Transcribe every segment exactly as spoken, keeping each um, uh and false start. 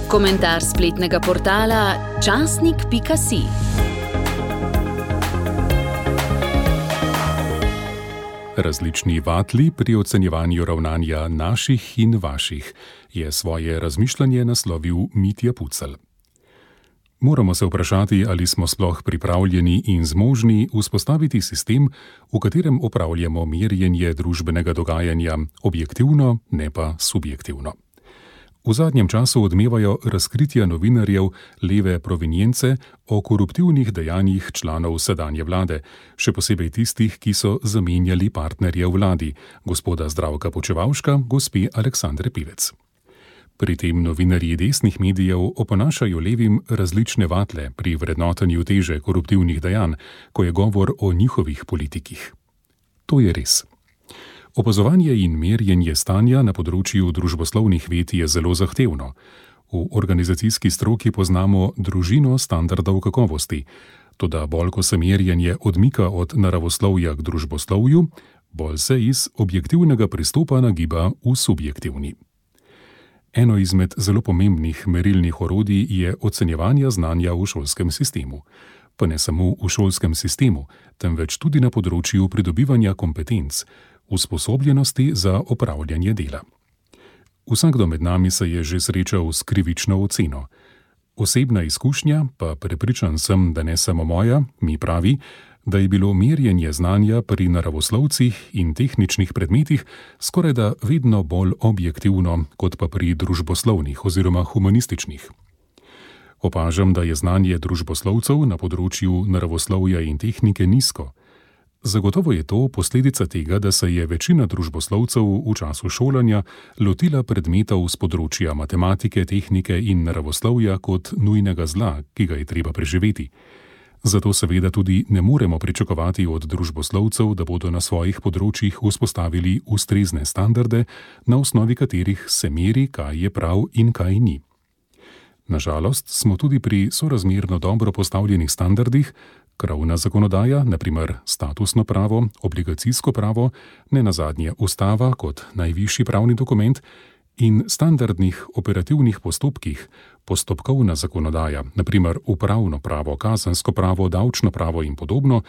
Komentar spletnega portala časnik pika si. Različni vatli pri ocenjevanju ravnanja naših in vaših je svoje razmišljanje naslovil Mitja Pucelj. Moramo se vprašati, ali smo sploh pripravljeni in zmožni vzpostaviti sistem, v katerem opravljamo merjenje družbenega dogajanja objektivno, ne pa subjektivno. V zadnjem času odmevajo razkritja novinarjev leve provenience o koruptivnih dejanjih članov sedanje vlade, še posebej tistih, ki so zamenjali partnerje v vladi, gospoda Zdravka Počivalška, gospe Aleksandre Pivec. Pri tem novinarji desnih medijev oponašajo levim različne vatle pri vrednotenju teže koruptivnih dejanj, ko je govor o njihovih politikih. To je res. Opazovanje in merjenje stanja na področju družboslovnih ved je zelo zahtevno. V organizacijski stroki poznamo družino standardov kakovosti, toda bolj ko se merjenje odmika od naravoslovja k družboslovju, bolj se iz objektivnega pristopa nagiba v subjektivni. Eno izmed zelo pomembnih merilnih orodij je ocenjevanje znanja v šolskem sistemu. Pa ne samo v šolskem sistemu, temveč tudi na področju pridobivanja kompetenc, usposobljenosti za opravljanje dela. Vsakdo med nami se je že srečal s krivično oceno. Osebna izkušnja, pa prepričan sem, da ne samo moja, mi pravi, da je bilo merjenje znanja pri naravoslovcih in tehničnih predmetih skorajda vedno bolj objektivno, kot pa pri družboslovnih oziroma humanističnih. Opažam, da je znanje družboslovcev na področju naravoslovja in tehnike nizko. Zagotovo je to posledica tega, da se je večina družboslovcev v času šolanja lotila predmetov z področja matematike, tehnike in naravoslovja kot nujnega zla, ki ga je treba preživeti. Zato seveda tudi ne moremo pričakovati od družboslovcev, da bodo na svojih področjih vzpostavili ustrezne standarde, na osnovi katerih se meri, kaj je prav in kaj ni. Nažalost smo tudi pri sorazmerno dobro postavljenih standardih, krovna zakonodaja, na primer statusno pravo, obligacijsko pravo, nenazadnje ustava kot najvišji pravni dokument, in standardnih operativnih postopkih, postopkovna zakonodaja, na primer upravno pravo, kazensko pravo, davčno pravo in podobno,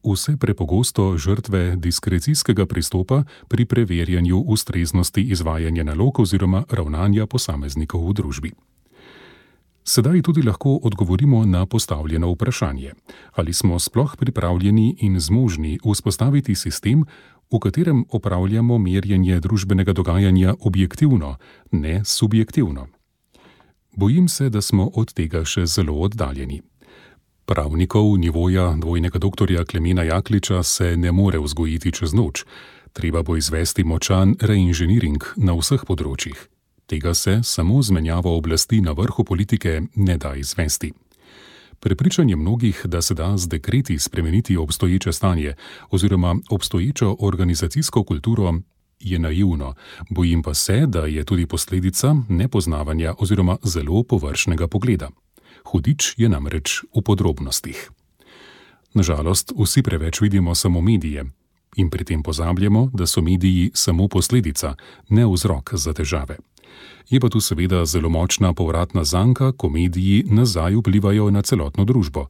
vse prepogosto žrtve diskrecijskega pristopa pri preverjanju ustreznosti izvajanja nalog oziroma ravnanja posameznikov v družbi. Sedaj tudi lahko odgovorimo na postavljeno vprašanje, ali smo sploh pripravljeni in zmožni vzpostaviti sistem, v katerem opravljamo merjenje družbenega dogajanja objektivno, ne subjektivno. Bojim se, da smo od tega še zelo oddaljeni. Pravnikov nivoja dvojnega doktorja Klemena Jakliča se ne more vzgojiti čez noč, treba bo izvesti močan reinženiring na vseh področjih. Tega se samo z menjavo oblasti na vrhu politike ne da izvesti. Prepričanje mnogih, da se da z dekreti spremeniti obstoječe stanje oziroma obstoječo organizacijsko kulturo, je naivno, bojim pa se, da je tudi posledica nepoznavanja oziroma zelo površnega pogleda. Hudič je namreč v podrobnostih. Nažalost, vsi preveč vidimo samo medije in pri tem pozabljamo, da so mediji samo posledica, ne vzrok za težave. Je pa tu seveda zelo močna povratna zanka, ko mediji nazaj vplivajo na celotno družbo.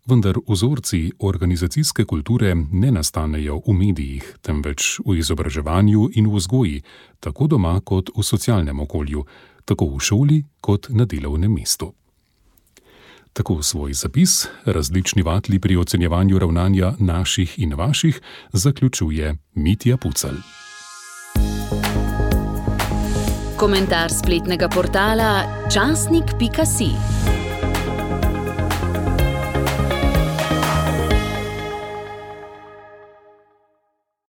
Vendar vzorci organizacijske kulture ne nastanejo v medijih, temveč v izobraževanju in v vzgoji, tako doma kot v socialnem okolju, tako v šoli kot na delovnem mestu. Tako svoj zapis, različni vatli pri ocenjevanju ravnanja naših in vaših, zaključuje Mitja Pucelj. Komentar spletnega portala časnik pika si.